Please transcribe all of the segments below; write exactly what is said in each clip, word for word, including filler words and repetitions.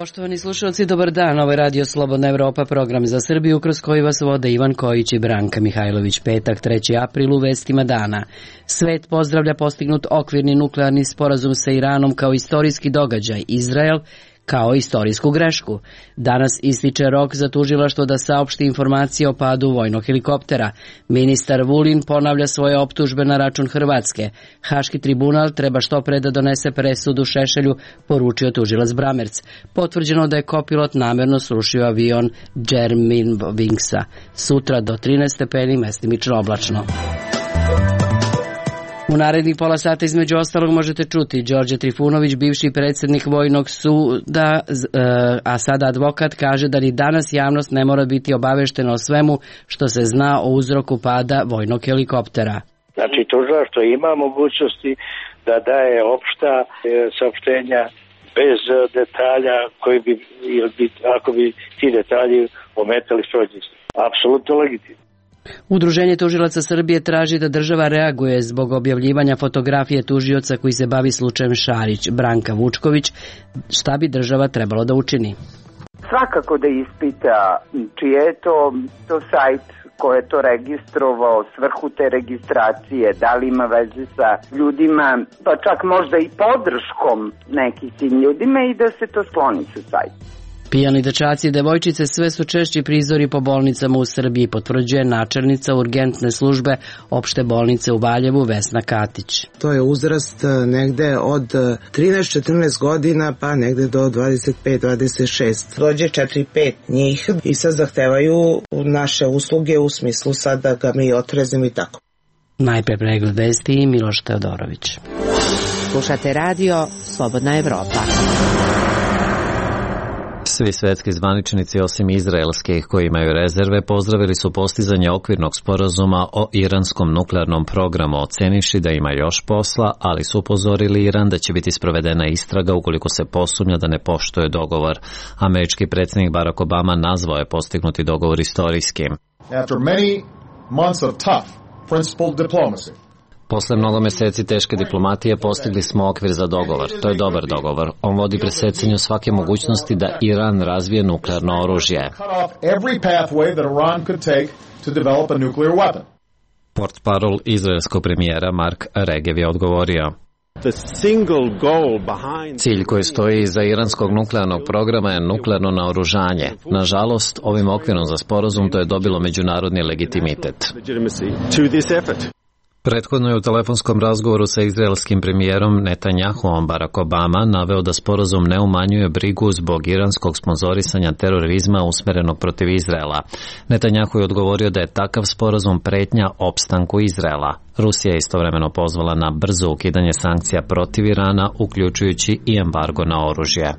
Poštovani slušalci, dobar dan. Ovo je Radio Slobodna Evropa, program za Srbiju kroz koji vas vode Ivan Kojić i Branka Mihajlović. Petak, treći april, u vestima dana. Svet pozdravlja postignut okvirni nuklearni sporazum sa Iranom kao istorijski događaj. Izrael kao istorijsku grešku. Danas ističe rok za tužilaštvo da saopšti informacije o padu vojnog helikoptera. Ministar Vulin ponavlja svoje optužbe na račun Hrvatske. Haški tribunal treba što pre da donese presudu Šešelju, poručio tužilac Bramerc. Potvrđeno da je kopilot namerno srušio avion Germanwingsa. Sutra do trinaest stepeni, mestimično oblačno. U narednih pola sata između ostalog možete čuti Đorđe Trifunović, bivši predsjednik Vojnog suda, a sada advokat, kaže da ni danas javnost ne mora biti obaveštena o svemu što se zna o uzroku pada vojnog helikoptera. Znači, tužilaštvo ima mogućnosti da daje opšta saopštenja bez detalja koji bi, ako bi ti detalji ometali suđenje. Apsolutno legitimno. Udruženje tužilaca Srbije traži da država reaguje zbog objavljivanja fotografije tužioca koji se bavi slučajem Šarić. Branka Vučković, šta bi država trebalo da učini? Svakako da ispita čije je to, to sajt ko je to registrovao, svrhu te registracije, da li ima veze sa ljudima, pa čak možda i podrškom nekih tim ljudima i da se to skloni sa sajta. Pijani dečaci i devojčice sve su češći prizori po bolnicama u Srbiji, potvrđuje načelnica urgentne službe opšte bolnice u Valjevu Vesna Katić. To je uzrast negde od trinaest četrnaest godina pa negde do dvadeset pet dvadeset šest. Dođe četiri pet njih i sad zahtevaju naše usluge u smislu sad da ga mi otrezimo i tako. Najpre pregled vesti i Miloš Teodorović. Slušate radio Slobodna Evropa. Svi svetski zvaničnici osim izraelskih koji imaju rezerve pozdravili su postizanje okvirnog sporazuma o iranskom nuklearnom programu, ocenivši da ima još posla, ali su upozorili Iran da će biti sprovedena istraga ukoliko se posumnja da ne poštuje dogovor. Američki predsjednik Barack Obama nazvao je postignuti dogovor istorijskim. After many months of tough, principled diplomacy, Posle mnogo meseci teške diplomatije postigli smo okvir za dogovor. To je dobar dogovor. On vodi presecanju svake mogućnosti da Iran razvije nuklearno oružje. Portparol izraelskog premijera Mark Regev je odgovorio: Cilj koji stoji iza iranskog nuklearnog programa je nuklearno naoružanje. Nažalost, ovim okvirom za sporazum to je dobilo međunarodni legitimitet. Prethodno je u telefonskom razgovoru sa izraelskim premijerom Netanjahuom Barack Obama naveo da sporazum ne umanjuje brigu zbog iranskog sponzorisanja terorizma usmerenog protiv Izraela. Netanjahu je odgovorio da je takav sporazum pretnja opstanku Izraela. Rusija je istovremeno pozvala na brzo ukidanje sankcija protiv Irana, uključujući i embargo na oružje.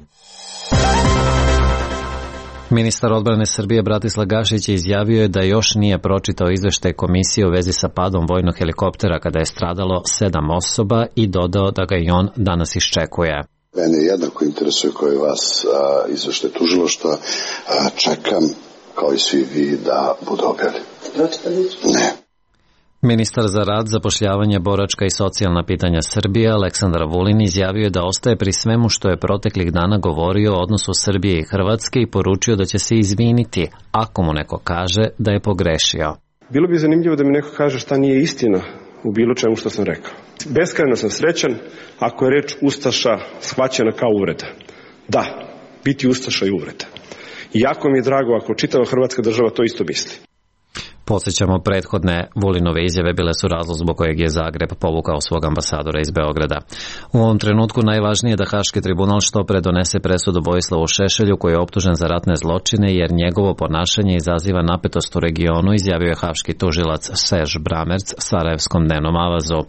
Ministar odbrane Srbije Bratislav Gašić izjavio je da još nije pročitao izveštaj komisije u vezi sa padom vojnog helikoptera kada je stradalo sedam osoba i dodao da ga i on danas iščekuje. Mene jednako interesuje kao i vas izveštaj tužilaštva. Čekam, kao i svi vi, da budu objavljeni. Ne. Ministar za rad, zapošljavanje, boračka i socijalna pitanja Srbije Aleksandar Vulin izjavio da ostaje pri svemu što je proteklih dana govorio o odnosu Srbije i Hrvatske i poručio da će se izviniti ako mu neko kaže da je pogrešio. Bilo bi zanimljivo da mi neko kaže šta nije istina u bilo čemu što sam rekao. Beskrajno sam srećan ako je reč ustaša shvaćena kao uvreda. Da, biti ustaša je uvreda. I jako mi je drago ako čitava Hrvatska država to isto misli. Podsjećamo, prethodne Vulinove izjave bile su razlog zbog kojeg je Zagreb povukao svog ambasadora iz Beograda. U ovom trenutku najvažnije je da Haški tribunal što pre donese presudu Vojislavu Šešelju koji je optužen za ratne zločine jer njegovo ponašanje izaziva napetost u regionu, izjavio je haški tužilac Serž Bramerc Sarajevskom dnevnom avazu.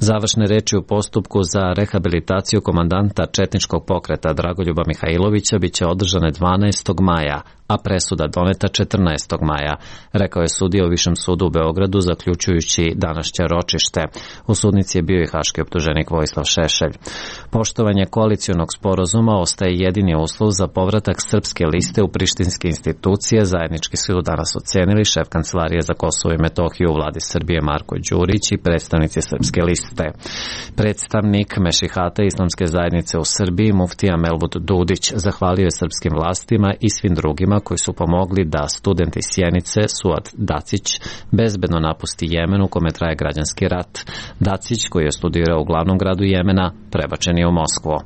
Završne reči u postupku za rehabilitaciju komandanta četničkog pokreta Dragoljuba Mihajlovića biće održane dvanaestog maja, a presuda doneta četrnaestog maja, rekao je sudija u Višem sudu u Beogradu zaključujući današnje ročište. U sudnici je bio i haški optuženik Vojislav Šešelj. Poštovanje koalicionog sporazuma ostaje jedini uslov za povratak srpske liste u prištinske institucije, zajednički su danas ocenili šef Kancelarije za Kosovo i Metohiju u vladi Srbije Marko Đurić i predstavnici srpske liste. Predstavnik Mešihata Islamske zajednice u Srbiji, muftija Melvud Dudić, zahvalio je srpskim vlastima i svim drugima koji su pomogli da student iz Sjenice, Suad Dacić, bezbedno napusti Jemen u kome traje građanski rat. Dacić, koji je studirao u glavnom gradu Jemena, prebačen je u Moskvu.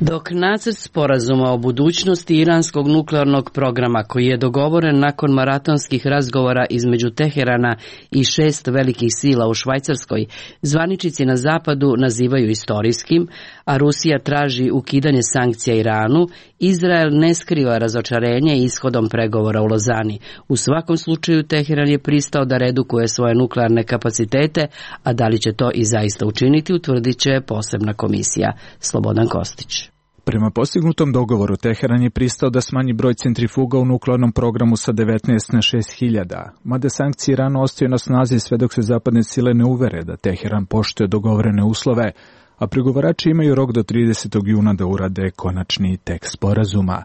Dok nacrt sporazuma o budućnosti iranskog nuklearnog programa, koji je dogovoren nakon maratonskih razgovora između Teherana i šest velikih sila u Švajcarskoj, zvaničnici na zapadu nazivaju istorijskim, a Rusija traži ukidanje sankcija Iranu, Izrael ne skriva razočarenje ishodom pregovora u Lozani. U svakom slučaju Teheran je pristao da redukuje svoje nuklearne kapacitete, a da li će to i zaista učiniti, utvrdit će posebna komisija. Slobodan Kostić. Prema postignutom dogovoru, Teheran je pristao da smanji broj centrifuga u nuklearnom programu sa devetnaest na šest hiljada, mada sankcije Iranu ostaju na snazi sve dok se zapadne sile ne uvere da Teheran poštuje dogovorene uslove, a pregovarači imaju rok do tridesetog juna da urade konačni tekst sporazuma.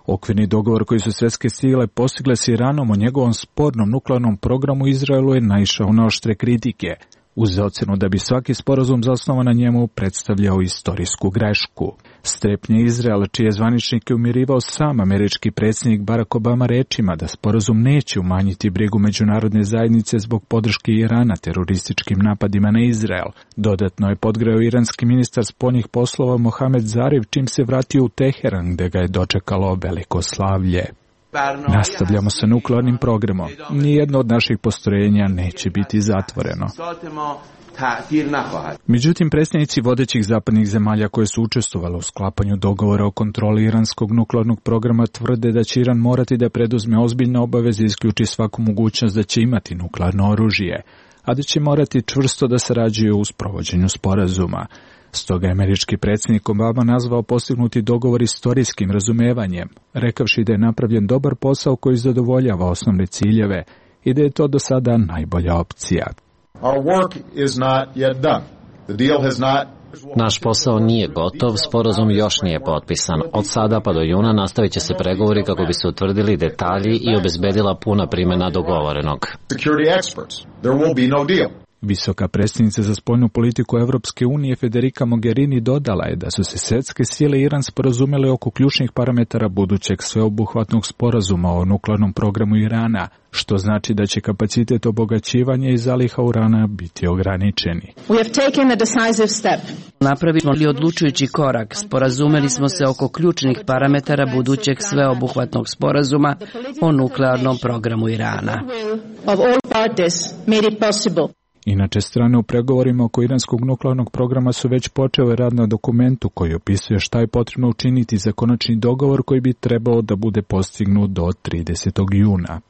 Okvirni dogovor koji su svetske sile postigle s Iranom o njegovom spornom nuklearnom programu Izraelu je naišao na oštre kritike, uz ocenu da bi svaki sporazum zasnovan na njemu predstavljao istorijsku grešku. Strepnje Izraela, čije zvaničnike umirivao sam američki predsjednik Barack Obama rečima da sporazum neće umanjiti brigu međunarodne zajednice zbog podrške Irana terorističkim napadima na Izrael. Dodatno je podgreo iranski ministar spoljnih poslova Mohamed Zarif čim se vratio u Teheran, gde ga je dočekalo veliko slavlje. Nastavljamo sa nuklearnim programom. Nijedno od naših postrojenja neće biti zatvoreno. Međutim, predstavnici vodećih zapadnih zemalja koje su učestvovale u sklapanju dogovora o kontroli iranskog nuklearnog programa tvrde da će Iran morati da preduzme ozbiljne obaveze i isključi svaku mogućnost da će imati nuklearno oružje, a da će morati čvrsto da sarađuju u sprovođenju sporazuma. Stoga je američki predsjednik Obama nazvao postignuti dogovor istorijskim razumevanjem, rekavši da je napravljen dobar posao koji zadovoljava osnovne ciljeve i da je to do sada najbolja opcija. Naš posao nije gotov, sporazum još nije potpisan. Od sada pa do juna nastavit će se pregovori kako bi se utvrdili detalji i obezbedila puna primjena dogovorenog. Visoka predstavnica za spoljnu politiku Evropske unije Federica Mogherini dodala je da su se svetske sile i Iran sporazumele oko ključnih parametara budućeg sveobuhvatnog sporazuma o nuklearnom programu Irana, što znači da će kapacitet obogaćivanja i zaliha urana biti ograničeni. Napravili smo li odlučujući korak, sporazumeli smo se oko ključnih parametara budućeg sveobuhvatnog sporazuma o nuklearnom programu Irana. Inače, strane u pregovorima oko iranskog nuklearnog programa su već počele rad na dokumentu koji opisuje šta je potrebno učiniti za konačni dogovor koji bi trebao da bude postignut do tridesetog juna.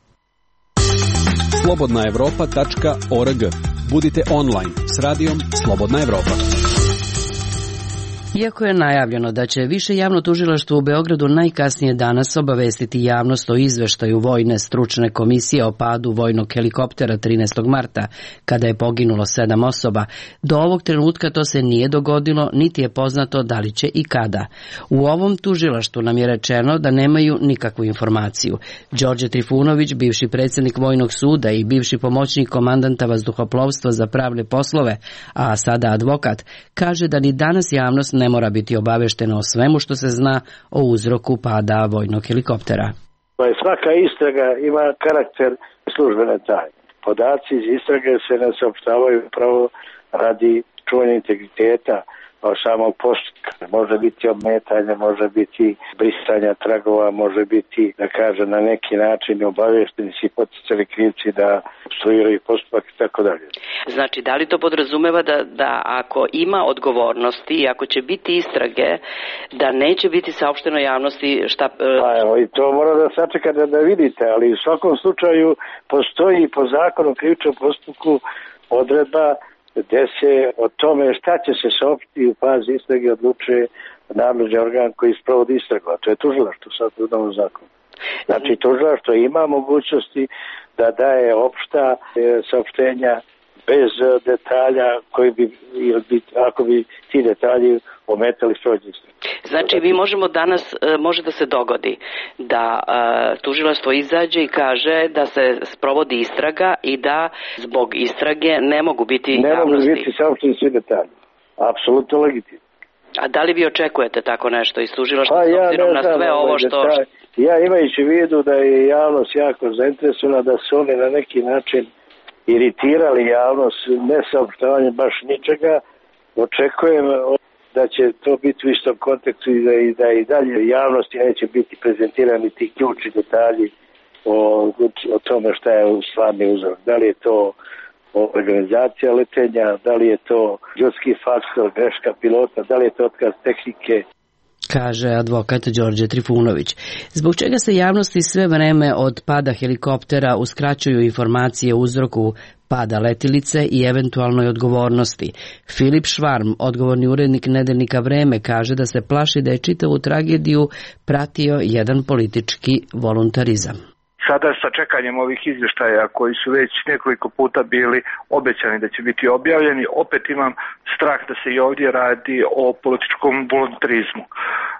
slobodna evropa tačka org. Budite online s radijom Slobodna Evropa. Iako je najavljeno da će Više javno tužilaštvo u Beogradu najkasnije danas obavestiti javnost o izveštaju Vojne stručne komisije o padu vojnog helikoptera trinaestog marta, kada je poginulo sedam osoba, do ovog trenutka to se nije dogodilo, niti je poznato da li će i kada. U ovom tužilaštvu nam je rečeno da nemaju nikakvu informaciju. Đorđe Trifunović, bivši predsjednik Vojnog suda i bivši pomoćnik komandanta vazduhoplovstva za pravne poslove, a sada advokat, kaže da ni danas javnost ne mora biti obaveštena o svemu što se zna o uzroku pada vojnog helikoptera. Svaka istraga ima karakter službene tajne. Podaci iz istrage se ne saopštavaju upravo radi čuvanja integriteta samog postupka. Može biti obmetanje, može biti brisanja tragova, može biti, da kažem, na neki način obavešteni si poticali krivci da obstruiraju postupak i tako dalje. Znači, da li to podrazumeva da, da ako ima odgovornosti i ako će biti istrage, da neće biti saopšteno javnosti šta... Pa evo, i to mora da sačekate da vidite, ali u svakom slučaju postoji po zakonu o krivičnom postupku odredba gde se o tome šta će se saopštiti u fazi istrage odlučuje nadležni organ koji sprovodi istragu, a to je tužilaštvo sad u novom zakonu. Znači, tužilaštvo ima mogućnosti da daje opšta e, saopštenja bez detalja koji bi, ako bi ti detalji ometali sprovođenje. Znači, mi možemo danas, može da se dogodi da uh, tužilaštvo izađe i kaže da se sprovodi istraga i da zbog istrage ne mogu biti ne javnosti. Ne mogu biti saopšteni svi detalji. Apsolutno legitimno. A da li vi očekujete tako nešto iz tužilaštva pa, s ja obzirom na sve ovo što... Detalj. Ja imajući u vidu da je javnost jako zainteresovana, da su oni na neki način iritirali javnost ne saopštavanjem baš ničega, očekujem da će to biti u istom kontekstu i da i, da i dalje javnosti neće biti prezentirani ti ključni detalji o, o tome šta je stvarni uzrok. Da li je to organizacija letenja, da li je to ljudski faktor, greška pilota, da li je to otkaz tehnike. Kaže advokat Đorđe Trifunović. Zbog čega se javnosti sve vreme od pada helikoptera uskraćuju informacije o uzroku pada letilice i eventualnoj odgovornosti? Filip Švarm, odgovorni urednik nedeljnika Vreme, kaže da se plaši da je čitavu tragediju pratio jedan politički voluntarizam. Sada sa čekanjem ovih izvještaja koji su već nekoliko puta bili obećani da će biti objavljeni, opet imam strah da se i ovdje radi o političkom voluntarizmu.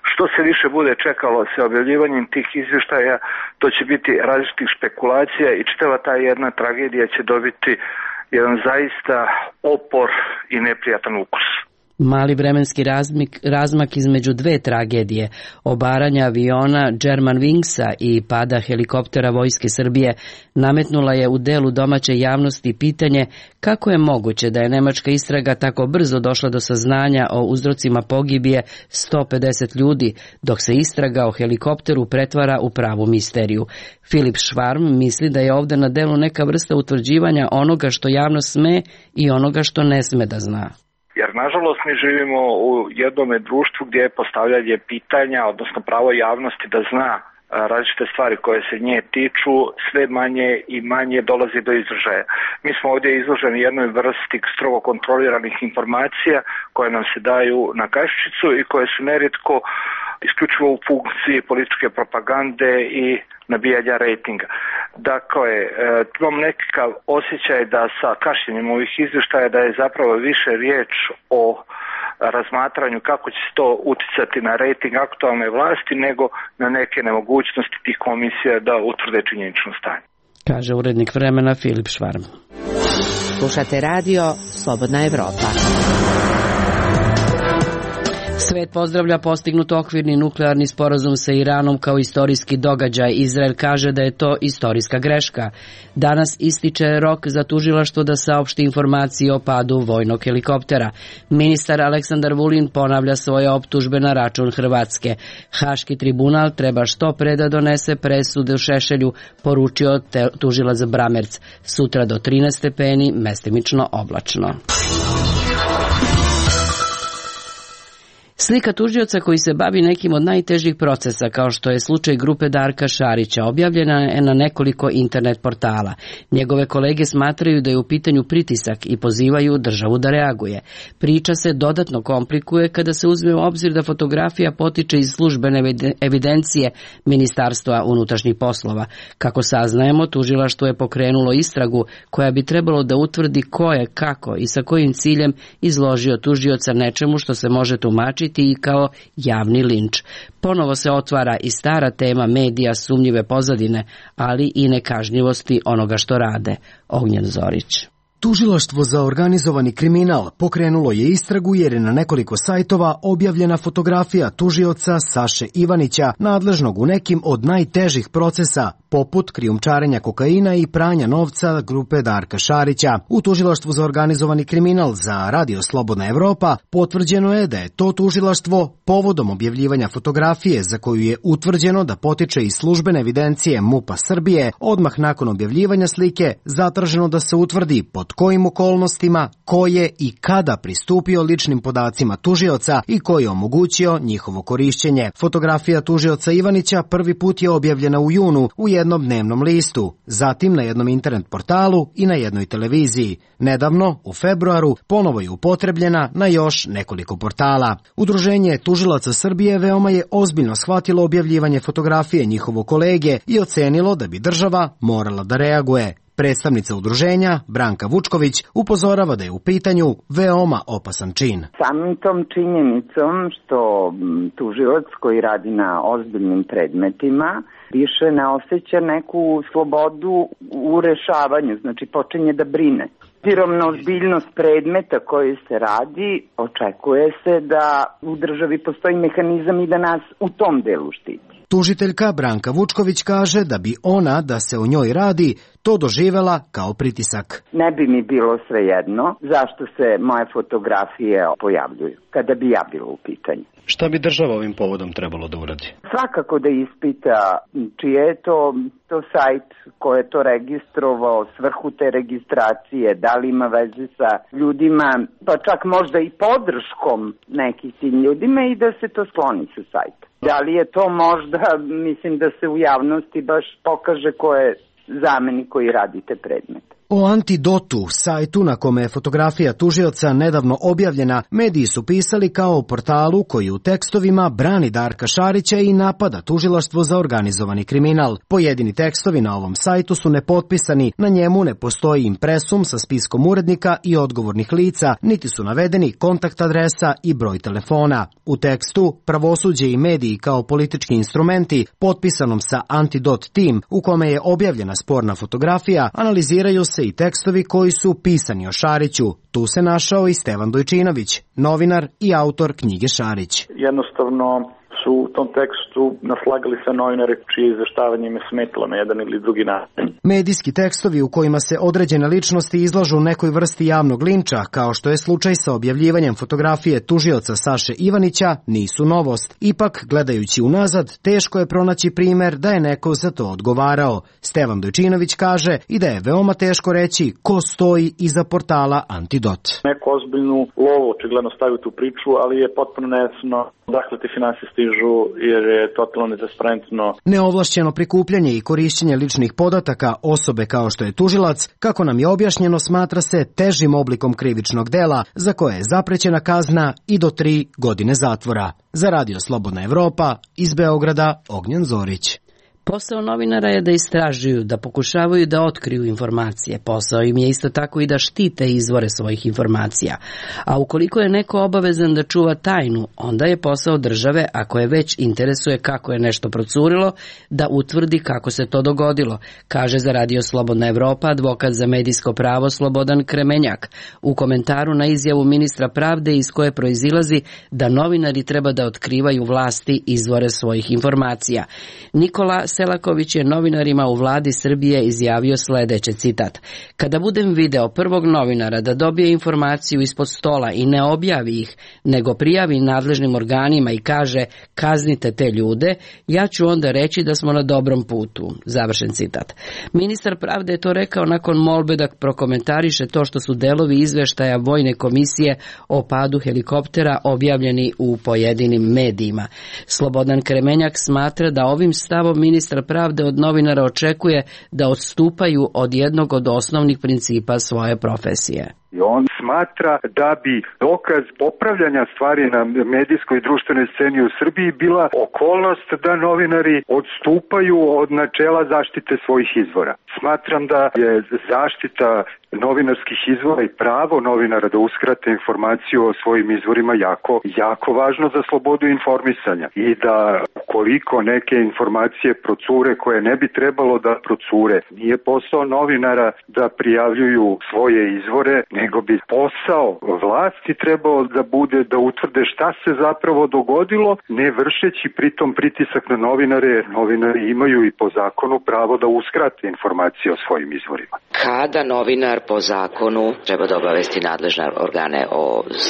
Što se više bude čekalo sa objavljivanjem tih izvještaja, to će biti različitih špekulacija i čitava ta jedna tragedija će dobiti jedan zaista opor i neprijatan ukus. Mali vremenski razmak, razmak između dve tragedije, obaranja aviona Germanwingsa i pada helikoptera Vojske Srbije, nametnula je u delu domaće javnosti pitanje kako je moguće da je nemačka istraga tako brzo došla do saznanja o uzrocima pogibije sto pedeset ljudi, dok se istraga o helikopteru pretvara u pravu misteriju. Filip Švarm misli da je ovde na delu neka vrsta utvrđivanja onoga što javnost sme i onoga što ne sme da zna. Jer, nažalost, mi živimo u jednom društvu gdje je postavljanje pitanja, odnosno pravo javnosti da zna različite stvari koje se nje tiču, sve manje i manje dolazi do izražaja. Mi smo ovdje izloženi jednoj vrsti strogo kontroliranih informacija koje nam se daju na kašičicu i koje su nerijetko isključivo u funkciji političke propagande i nabijanja rejtinga. Dakle, imam nekakav osjećaj da sa kašnjenjem ovih izvještaja da je zapravo više riječ o razmatranju kako će se to uticati na rejting aktualne vlasti nego na neke nemogućnosti tih komisija da utvrde činjenično stanje. Kaže urednik Vremena Filip Švarm. Slušate radio Slobodna Evropa. Svet pozdravlja postignut okvirni nuklearni sporazum sa Iranom kao istorijski događaj. Izrael kaže da je to istorijska greška. Danas ističe rok za tužilaštvo da saopšti informacije o padu vojnog helikoptera. Ministar Aleksandar Vulin ponavlja svoje optužbe na račun Hrvatske. Haški tribunal treba što pre da donese presude u Šešelju, poručio tužilac Bramerc. Sutra do trinaest stepeni, mestimično oblačno. Slika tužioca koji se bavi nekim od najtežih procesa, kao što je slučaj grupe Darka Šarića, objavljena je na nekoliko internet portala. Njegove kolege smatraju da je u pitanju pritisak i pozivaju državu da reaguje. Priča se dodatno komplikuje kada se uzme u obzir da fotografija potiče iz službene evidencije Ministarstva unutrašnjih poslova. Kako saznajemo, tužilaštvo je pokrenulo istragu koja bi trebalo da utvrdi ko je, kako i sa kojim ciljem izložio tužioca nečemu što se može tumačiti i kao javni linč. Ponovo se otvara i stara tema medija sumnjive pozadine, ali i nekažnjivosti onoga što rade. Ognjen Zorić. Tužilaštvo za organizovani kriminal pokrenulo je istragu jer je na nekoliko sajtova objavljena fotografija tužioca Saše Ivanića, nadležnog u nekim od najtežih procesa, poput krijumčarenja kokaina i pranja novca grupe Darka Šarića. U Tužilaštvu za organizovani kriminal za Radio Slobodna Evropa potvrđeno je da je to tužilaštvo povodom objavljivanja fotografije za koju je utvrđeno da potiče iz službene evidencije MUP-a Srbije, odmah nakon objavljivanja slike zatraženo da se utvrdi pod kojim okolnostima, ko je i kada pristupio ličnim podacima tužioca i koji je omogućio njihovo korišćenje. Fotografija tužioca Ivanića prvi put je objavljena u junu u jednom dnevnom listu, zatim na jednom internet portalu i na jednoj televiziji. Nedavno, u februaru, ponovo je upotrebljena na još nekoliko portala. Udruženje tužilaca Srbije veoma je ozbiljno shvatilo objavljivanje fotografije njihovo kolege i ocenilo da bi država morala da reaguje. Predstavnica udruženja, Branka Vučković, upozorava da je u pitanju veoma opasan čin. Samim tom činjenicom što tužilac koji radi na ozbiljnim predmetima više ne osjeća neku slobodu u rešavanju, znači počinje da brine. Obzirom na ozbiljnost predmeta koji se radi, očekuje se da u državi postoji mehanizam i da nas u tom delu štiti. Tužiteljka Branka Vučković kaže da bi ona, da se o njoj radi, to doživela kao pritisak. Ne bi mi bilo svejedno zašto se moje fotografije pojavljuju, kada bi ja bila u pitanju. Šta bi država ovim povodom trebalo da uradi? Svakako da ispita čije je to, to sajt ko je to registrovao, svrhu te registracije, da li ima veze sa ljudima, pa čak možda i podrškom nekih tim ljudima i da se to skloni sa sajta. Da li je to možda, mislim da se u javnosti baš pokaže ko je zamenik koji radi te predmete. O Antidotu, sajtu na kome je fotografija tužioca nedavno objavljena, mediji su pisali kao o portalu koji u tekstovima brani Darka Šarića i napada tužilaštvo za organizovani kriminal. Pojedini tekstovi na ovom sajtu su nepotpisani, na njemu ne postoji impresum sa spiskom urednika i odgovornih lica, niti su navedeni kontakt adresa i broj telefona. U tekstu Pravosuđe i mediji kao politički instrumenti, potpisanom sa Antidot Team, u kome je objavljena sporna fotografija, analiziraju se i tekstovi koji su pisani o Šariću. Tu se našao i Stevan Dojčinović, novinar i autor knjige Šarić. Jednostavno su u tom tekstu naslagali se novinare čije izveštavanje im je smetalo na jedan ili drugi način. Medijski tekstovi u kojima se određene ličnosti izlažu nekoj vrsti javnog linča, kao što je slučaj sa objavljivanjem fotografije tužioca Saše Ivanića, nisu novost. Ipak, gledajući unazad, teško je pronaći primer da je neko za to odgovarao. Stevan Dojčinović kaže i da je veoma teško reći ko stoji iza portala Antidot. Neko ozbiljnu lovu očigledno stavio tu priču, ali je potpuno nejasno dakle ti finansije stižu jer je totalno netransparentno. Neovlašćeno prikupljanje i korišćenje ličnih podataka osobe kao što je tužilac, kako nam je objašnjeno, smatra se težim oblikom krivičnog dela za koje je zaprećena kazna i do tri godine zatvora. Za Radio Slobodna Evropa, iz Beograda, Ognjen Zorić. Posao novinara je da istražuju, da pokušavaju da otkriju informacije. Posao im je isto tako i da štite izvore svojih informacija. A ukoliko je neko obavezan da čuva tajnu, onda je posao države, ako je već interesuje kako je nešto procurilo, da utvrdi kako se to dogodilo, kaže za Radio Slobodna Evropa advokat za medijsko pravo Slobodan Kremenjak u komentaru na izjavu ministra pravde iz koje proizilazi da novinari treba da otkrivaju vlasti izvore svojih informacija. Nikola Selaković je novinarima u vladi Srbije izjavio sledeće, citat: "Kada budem video prvog novinara da dobije informaciju ispod stola i ne objavi ih, nego prijavi nadležnim organima i kaže kaznite te ljude, ja ću onda reći da smo na dobrom putu." Završen citat. Ministar pravde je to rekao nakon molbe da prokomentariše to što su delovi izveštaja Vojne komisije o padu helikoptera objavljeni u pojedinim medijima. Slobodan Kremenjak smatra da ovim stavom ministar pravde od novinara očekuje da odstupaju od jednog od osnovnih principa svoje profesije. On smatra da bi dokaz popravljanja stvari na medijskoj i društvenoj sceni u Srbiji bila okolnost da novinari odstupaju od načela zaštite svojih izvora. Smatram da je zaštita novinarskih izvora i pravo novinara da uskrate informaciju o svojim izvorima jako, jako važno za slobodu informisanja i da koliko neke informacije procure koje ne bi trebalo da procure, nije posao novinara da prijavljuju svoje izvore, nego bi posao vlasti trebao da bude da utvrde šta se zapravo dogodilo, ne vršeći pritom pritisak na novinare. Novinari imaju i po zakonu pravo da uskrate informacije o svojim izvorima. Kada novinar po zakonu treba da obavesti nadležne organe o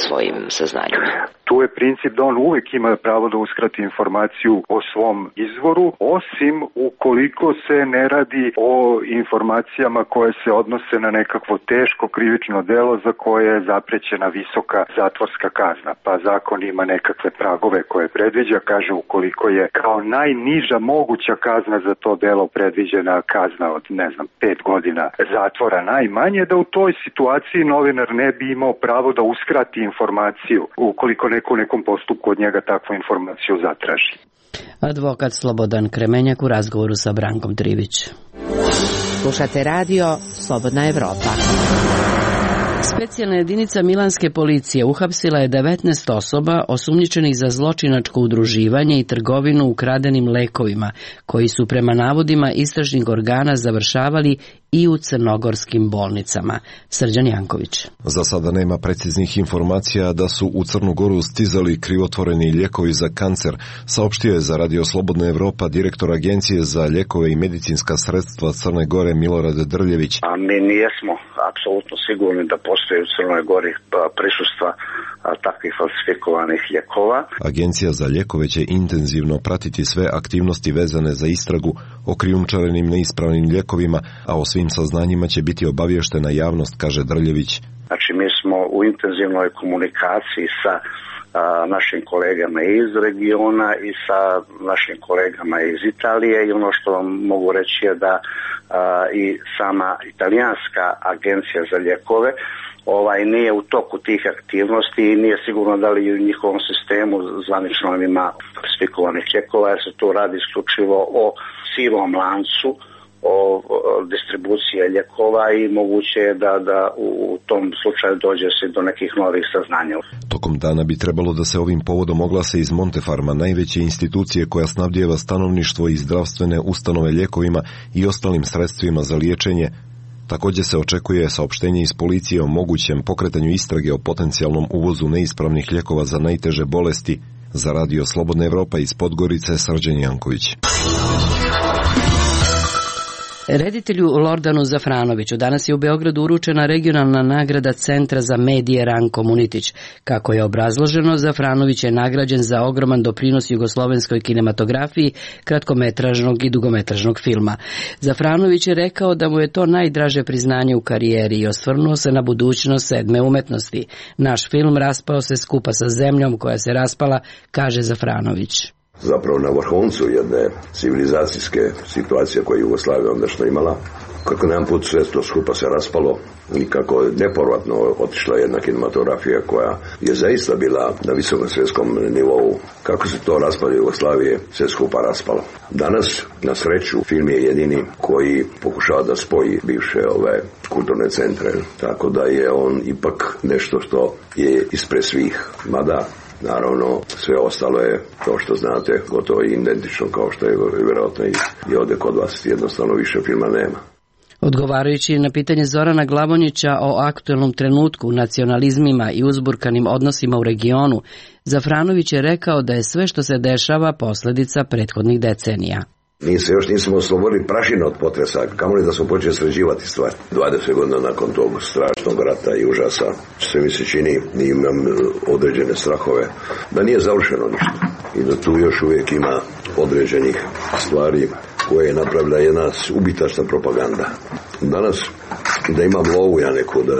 svojim saznanjima? Tu je princip da on uvek ima pravo da uskrati informaciju o svom izvoru, osim ukoliko se ne radi o informacijama koje se odnose na nekakvo teško krivično delo za koje je zaprećena visoka zatvorska kazna. Pa zakon ima nekakve pragove koje predviđa, kaže ukoliko je kao najniža moguća kazna za to delo predviđena kazna od, ne znam, pet godina zatvora najmanje, da u toj situaciji novinar ne bi imao pravo da uskrati informaciju ukoliko neko u nekom postupku od njega takvu informaciju zatraži. Advokat Slobodan Kremenjak u razgovoru sa Brankom Trivić. Slušate radio Slobodna Evropa. Specijalna jedinica milanske policije uhapsila je devetnaest osoba osumnjičenih za zločinačko udruživanje i trgovinu ukradenim lekovima, koji su prema navodima istražnih organa završavali i u crnogorskim bolnicama. Srđan Janković. Za sada nema preciznih informacija da su u Crnu Goru stizali krivotvoreni lijekovi za kancer, saopštio je za Radio Slobodna Evropa direktor Agencije za lijekove i medicinska sredstva Crne Gore Milorad Drljević. A mi nijesmo apsolutno sigurni da postoji u Crnoj Gori prisustva takvih falsifikovanih lijekova. Agencija za lijekove će intenzivno pratiti sve aktivnosti vezane za istragu o krijumčarenim neispravnim lijekovima, a o svim saznanjima će biti obavještena javnost, kaže Drljević. Znači mi smo u intenzivnoj komunikaciji sa a, našim kolegama iz regiona i sa našim kolegama iz Italije i ono što vam mogu reći je da a, i sama italijanska agencija za lijekove ovaj nije u toku tih aktivnosti i nije sigurno da li u njihovom sistemu zvanično ima falsifikovanih lijekova, jer se tu radi isključivo o sivom lancu, o distribucije lijekova i moguće je da, da u tom slučaju dođe se do nekih novih saznanja. Tokom dana bi trebalo da se ovim povodom oglase iz Montefarma, najveće institucije koja snabdijeva stanovništvo i zdravstvene ustanove lijekovima i ostalim sredstvima za liječenje. Također se očekuje saopštenje iz policije o mogućem pokretanju istrage o potencijalnom uvozu neispravnih lijekova za najteže bolesti. Za Radio Slobodna Evropa iz Podgorice, Srđan Janković. Reditelju Lordanu Zafranoviću danas je u Beogradu uručena regionalna nagrada Centra za medije Ranko Munitić. Kako je obrazloženo, Zafranović je nagrađen za ogroman doprinos jugoslovenskoj kinematografiji, kratkometražnog i dugometražnog filma. Zafranović je rekao da mu je to najdraže priznanje u karijeri i osvrnuo se na budućnost sedme umetnosti. Naš film raspao se skupa sa zemljom koja se raspala, kaže Zafranović. Zapravo na vrhuncu jedne civilizacijske situacije koje je Jugoslavija ondašnja imala, kako nam put sve to skupa se raspalo i kako je nepovratno otišla jedna kinematografija koja je zaista bila na visokom svjetskom nivou. Kako se to raspade Jugoslavije, sve skupa raspalo. Danas, na sreću, film je jedini koji pokušava da spoji bivše ove kulturne centre, tako da je on ipak nešto što je ispred svih, mada naravno, sve ostalo je, kao što znate, gotovo identično kao što je vjerojatno i ovdje kod vas, jednostavno više filma nema. Odgovarajući na pitanje Zorana Glavonjića o aktuelnom trenutku, nacionalizmima i uzburkanim odnosima u regionu, Zafranović je rekao da je sve što se dešava posljedica prethodnih decenija. Mi se još nismo oslobodili prašina od potresa, kamoli da smo počeli sređivati stvari. dvadeset godina nakon tog strašnog rata i užasa, sve mi se čini, imam određene strahove, da nije završeno ništa. I da tu još uvijek ima određenih stvari koje je napravila jedna ubitačna propaganda. Danas, da imam lovu ja neku, da,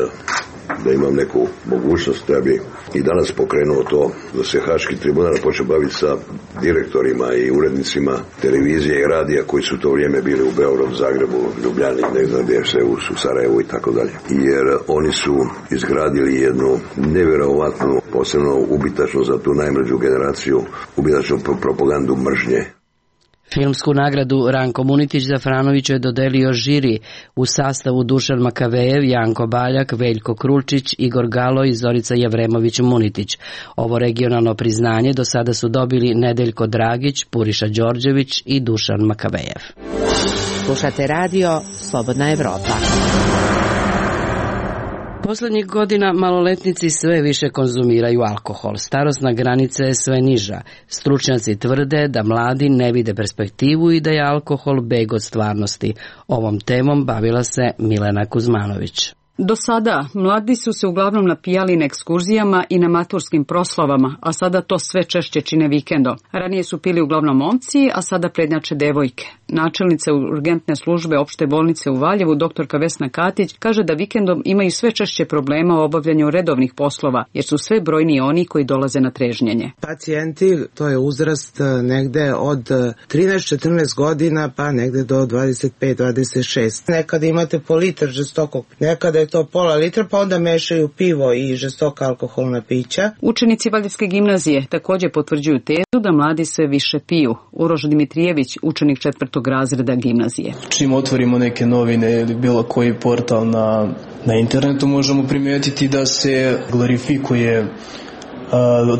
da imam neku mogućnost, da bi i danas pokrenuo to, da se Haški tribunal počeo baviti sa direktorima i urednicima televizije i radija koji su u to vrijeme bili u Beogradu, Zagrebu, Ljubljani, ne znam gdje se u Sarajevu i tako dalje. Jer oni su izgradili jednu nevjerovatnu, posebno ubitačnu za tu najmlađu generaciju, ubitačnu propagandu mržnje. Filmsku nagradu Ranko Munitić Zafranoviću je dodelio žiri u sastavu Dušan Makavejev, Janko Baljak, Veljko Krulčić, Igor Galo i Zorica Javremović-Munitić. Ovo regionalno priznanje do sada su dobili Nedeljko Dragić, Puriša Đorđević i Dušan Makavejev. Slušate radio Slobodna Evropa. Poslednjih godina maloletnici sve više konzumiraju alkohol. Starosna granica je sve niža. Stručnjaci tvrde da mladi ne vide perspektivu i da je alkohol beg od stvarnosti. Ovom temom bavila se Milena Kuzmanović. Do sada mladi su se uglavnom napijali na ekskurzijama i na maturskim proslavama, a sada to sve češće čine vikendom. Ranije su pili uglavnom momci, a sada prednjače devojke. Načelnica urgentne službe opšte bolnice u Valjevu, doktorka Vesna Katić, kaže da vikendom imaju sve češće problema u obavljanju redovnih poslova, jer su sve brojniji oni koji dolaze na trežnjenje. Pacijenti, to je uzrast negde od trinaest četrnaest godina pa negde do dvadeset pet dvadeset šest. Nekada imate po litar žestokog, nekada je to pola litra, pa onda mešaju pivo i žestoka alkoholna pića. Učenici Valjevske gimnazije takođe potvrđuju tezu da mladi sve više piju. Uroš Dimitrijević, učenik četvrtog razreda gimnazije. Čim otvorimo neke novine ili bilo koji portal na, na internetu, možemo primijetiti da se glorifikuje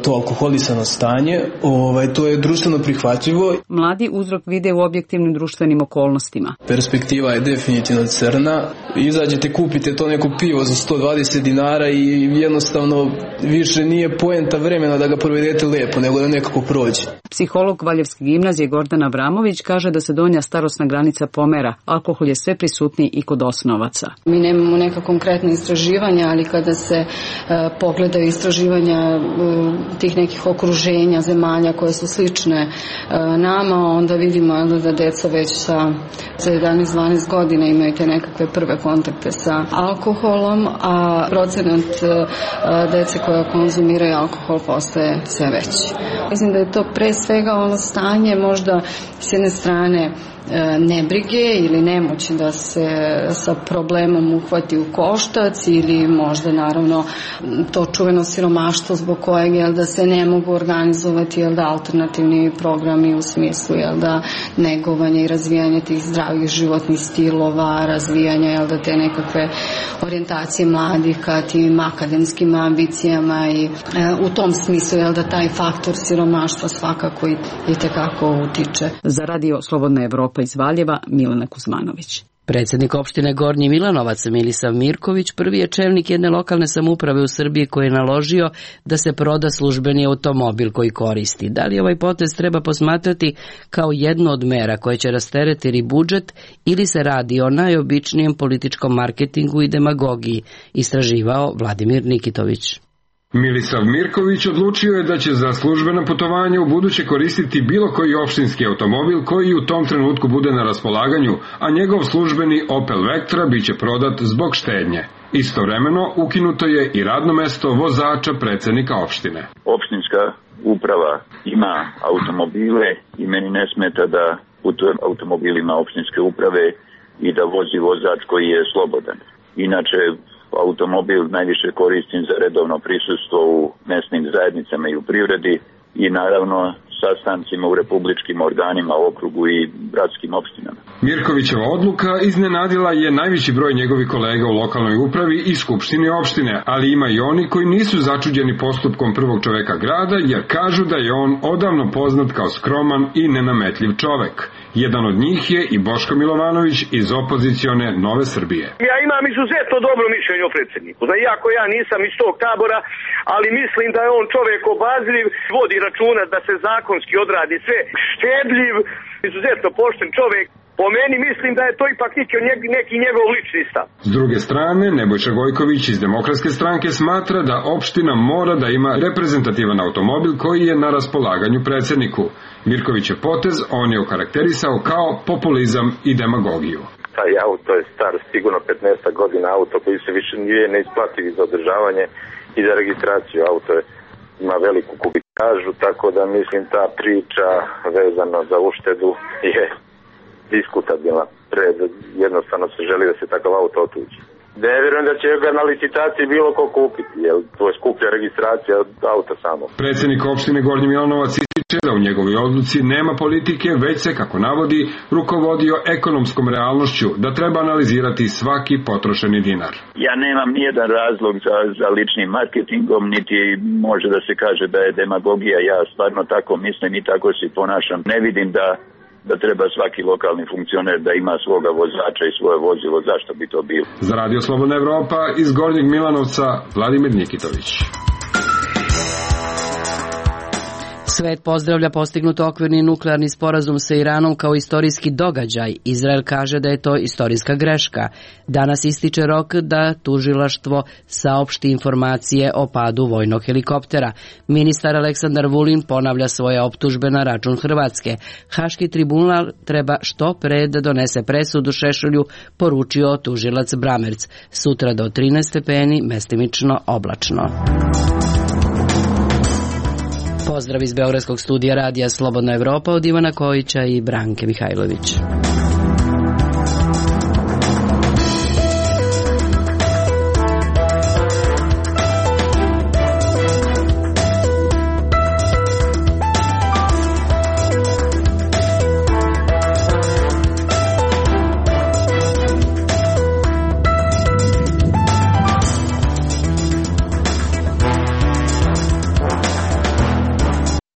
to alkoholisano stanje, ovaj, to je društveno prihvatljivo. Mladi uzrok vide u objektivnim društvenim okolnostima. Perspektiva je definitivno crna. Izađete, kupite to neko pivo za sto dvadeset dinara i jednostavno više nije poenta vremena da ga provedete lepo, nego da nekako prođe. Psiholog Valjevske gimnazije Gordana Vramović kaže da se donja starosna granica pomera. Alkohol je sve prisutniji i kod osnovaca. Mi nemamo neka konkretna istraživanja, ali kada se uh, pogledaju istraživanja tih nekih okruženja zemalja koje su slične nama, onda vidimo da deca već sa jedanaest dvanaest godina imaju te nekakve prve kontakte sa alkoholom, a procenat dece koja konzumiraju alkohol postaje sve veći. Mislim da je to pre svega ono stanje možda s jedne strane nebrige ili nemoći da se sa problemom uhvati u koštac ili možda naravno to čuveno siromaštvo zbog kojeg jel, da se ne mogu organizovati jel, da alternativni programi u smislu jel, da negovanja i razvijanja tih zdravih životnih stilova, razvijanja jel, da te nekakve orijentacije mladih ka tim akademskim ambicijama i e, u tom smislu jel, da taj faktor siromaštva svakako i, i tekako utiče. Za Radio Slobodna Evropa iz Valjeva, Milena Kuzmanović. Predsjednik opštine Gornji Milanovac Milisav Mirković prvi je čelnik jedne lokalne samouprave u Srbiji koji je naložio da se proda službeni automobil koji koristi. Da li ovaj potez treba posmatrati kao jednu od mera koje će rasteretiti budžet ili se radi o najobičnijem političkom marketingu i demagogiji, istraživao Vladimir Nikitović. Milisav Mirković odlučio je da će za službena putovanja u buduće koristiti bilo koji opštinski automobil koji u tom trenutku bude na raspolaganju, a njegov službeni Opel Vectra biće prodat zbog štednje. Istovremeno ukinuto je i radno mesto vozača predsednika opštine. Opštinska uprava ima automobile i meni ne smeta da putujem automobilima opštinske uprave i da vozi vozač koji je slobodan. Inače, automobil najviše koristim za redovno prisustvo u mesnim zajednicama i u privredi i naravno sastancima u republičkim organima, okrugu i gradskim opštinama. Mirkovićeva odluka iznenadila je najveći broj njegovih kolega u lokalnoj upravi i skupštini opštine, ali ima i oni koji nisu začuđeni postupkom prvog čoveka grada jer kažu da je on odavno poznat kao skroman i nenametljiv čovek. Jedan od njih je i Boško Milovanović iz opozicione Nove Srbije. Ja imam izuzetno dobro mišljenje o predsjedniku. Za iako ja nisam iz tog tabora, ali mislim da je on čovjek obazriv, vodi računa da se zakonski odradi sve, štedljiv, izuzetno pošten čovjek. Po meni mislim da je to ipak neki, neki njegov lični stav. S druge strane, Nebojša Gojković iz Demokratske stranke smatra da opština mora da ima reprezentativan automobil koji je na raspolaganju predsjedniku. Mirkovićev potez on je okarakterisao kao populizam i demagogiju. Taj auto je star sigurno petnaest godina, auto koji se više nije neisplativ za održavanje i za registraciju. Auto je, ima veliku kubikažu, tako da mislim ta priča vezana za uštedu je diskutabilna. Pred, jednostavno se želi da se takav auto otuđi. Ne vjerujem da će ga na licitaciji bilo ko kupiti, jer to je skuplja registracija od auta samo. Predsjednik opštine Gornji Milanovac ističe da u njegovoj odluci nema politike, već se, kako navodi, rukovodio ekonomskom realnošću, da treba analizirati svaki potrošeni dinar. Ja nemam nijedan razlog za, za ličnim marketingom, niti može da se kaže da je demagogija. Ja stvarno tako mislim i tako se ponašam. Ne vidim da da treba svaki lokalni funkcioner da ima svoga vozača i svoje vozilo, zašto bi to bilo? Za Radio Slobodna Evropa iz Gornjeg Milanovca, Vladimir Nikitović. Svet pozdravlja postignut okvirni nuklearni sporazum sa Iranom kao istorijski događaj. Izrael kaže da je to istorijska greška. Danas ističe rok da tužilaštvo saopšti informacije o padu vojnog helikoptera. Ministar Aleksandar Vulin ponavlja svoje optužbe na račun Hrvatske. Haški tribunal treba što pre da donese presudu Šešelju, poručio tužilac Bramerc. Sutra do trinaest stepeni, mestimično oblačno. Pozdrav iz Beogradskog studija Radija Slobodna Evropa od Ivana Kojića i Branke Mihajlović.